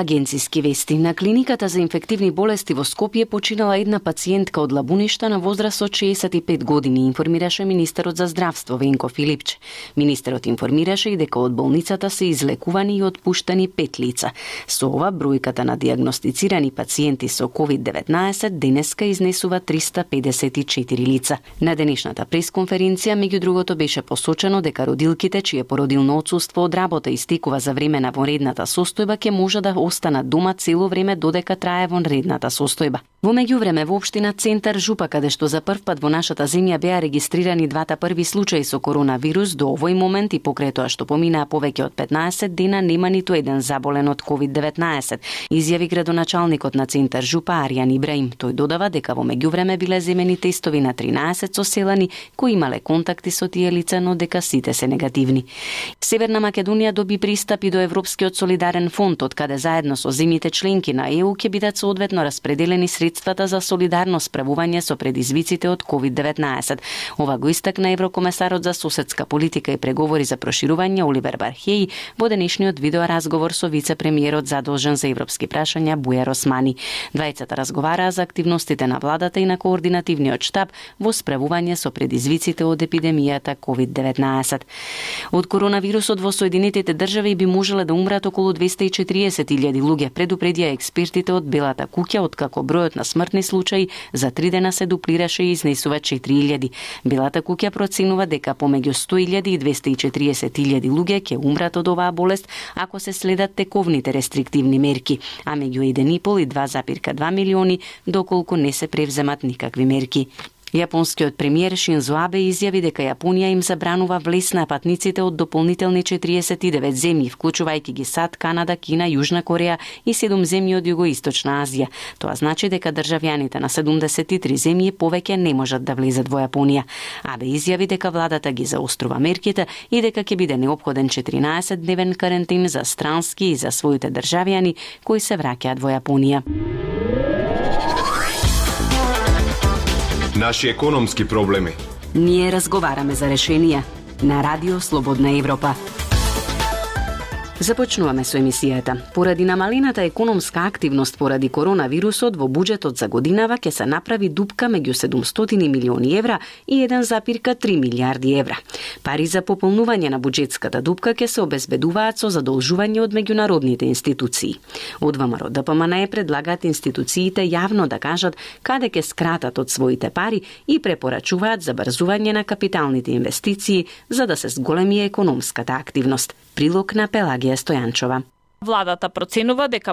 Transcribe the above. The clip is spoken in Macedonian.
Агенциски вести. На клиниката за инфективни болести во Скопје починала една пациентка од Лабуништа на возраст од 65 години, информираше министерот за здравство Венко Филипче. Министерот информираше и дека од болницата се излекувани и отпуштани 5 лица. Со ова бројката на диагностицирани пациенти со COVID-19 денеска изнесува 354 лица. На денешната пресконференција меѓу другото беше посочено дека родилките чие породилно отсуство од работа истекува за време на вонредната состојба ќе може да останат дома цело време додека трае вонредната состојба. Во меѓувреме во општина Центар Жупа, каде што за прв пат во нашата земја беа регистрирани двата први случаи со коронавирус, до овој момент и покрај тоа што поминаа повеќе од 15 дена нема ниту еден заболен од COVID-19, изјави градоначалникот на Центар Жупа Аријан Ибраим. Тој додава дека во меѓувреме биле земени тестови на 13 соселани кои имале контакти со тие лица, но дека сите се негативни. Северна Македонија доби пристап и до Европскиот солидарен фонд, од каде заедно со земјите членки на ЕУ ќе бидат соодветно распределени средствата за солидарно справување со предизвиците од COVID-19. Ова го истакна еврокомесарот за соседска политика и преговори за проширување Оливер Бархеј во денешниот видеоразговор со вице-премиерот задолжен за европски прашања Бујар Османи. Двајцата разговараа за активностите на владата и на координативниот штаб во справување со предизвиците од епидемијата COVID-19. Од коронавирусот во Соединетите држави би можеле да умрат околу 240.000 луѓе, предупредија експертите од Белата куќа, откако бројот на смртни случаи за 3 дена се дуплираше и изнесува 4.000. Белата куќа проценува дека помеѓу 100.000 и 240.000 луѓе ќе умрат од оваа болест ако се следат тековните рестриктивни мерки, а меѓу 1,5 и 2,2 милиони доколку не се превземат никакви мерки. Јапонскиот премиер Шинзо Абе изјави дека Јапонија им забранува влез на патниците од дополнителни 49 земји, вклучувајќи ги САД, Канада, Кина, Јужна Кореја и 7 земји од Југоисточна Азија. Тоа значи дека државјаните на 73 земји повеќе не можат да влезат во Јапонија. Абе изјави дека владата ги заострува мерките и дека ќе биде неопходен 14-дневен карантин за странски и за своите државјани кои се враќаат во Јапонија. Наши економски проблеми. Ние разговараме за решенија на Радио Слободна Европа. Започнуваме со емисијата. Поради намалената економска активност поради коронавирусот во буџетот за годинава ќе се направи дупка меѓу 700 милиони евра и 1,3 милијарди евра. Пари за пополнување на буџетската дупка ќе се обезбедуваат со задолжување од меѓународните институции. Од ВМРО ДПМН предлагаат институциите јавно да кажат каде ќе скратат од своите пари и препорачуваат забрзување на капиталните инвестиции за да се зголеми економската активност. Прилог на Пелагија Стојанчова. Владата проценува дека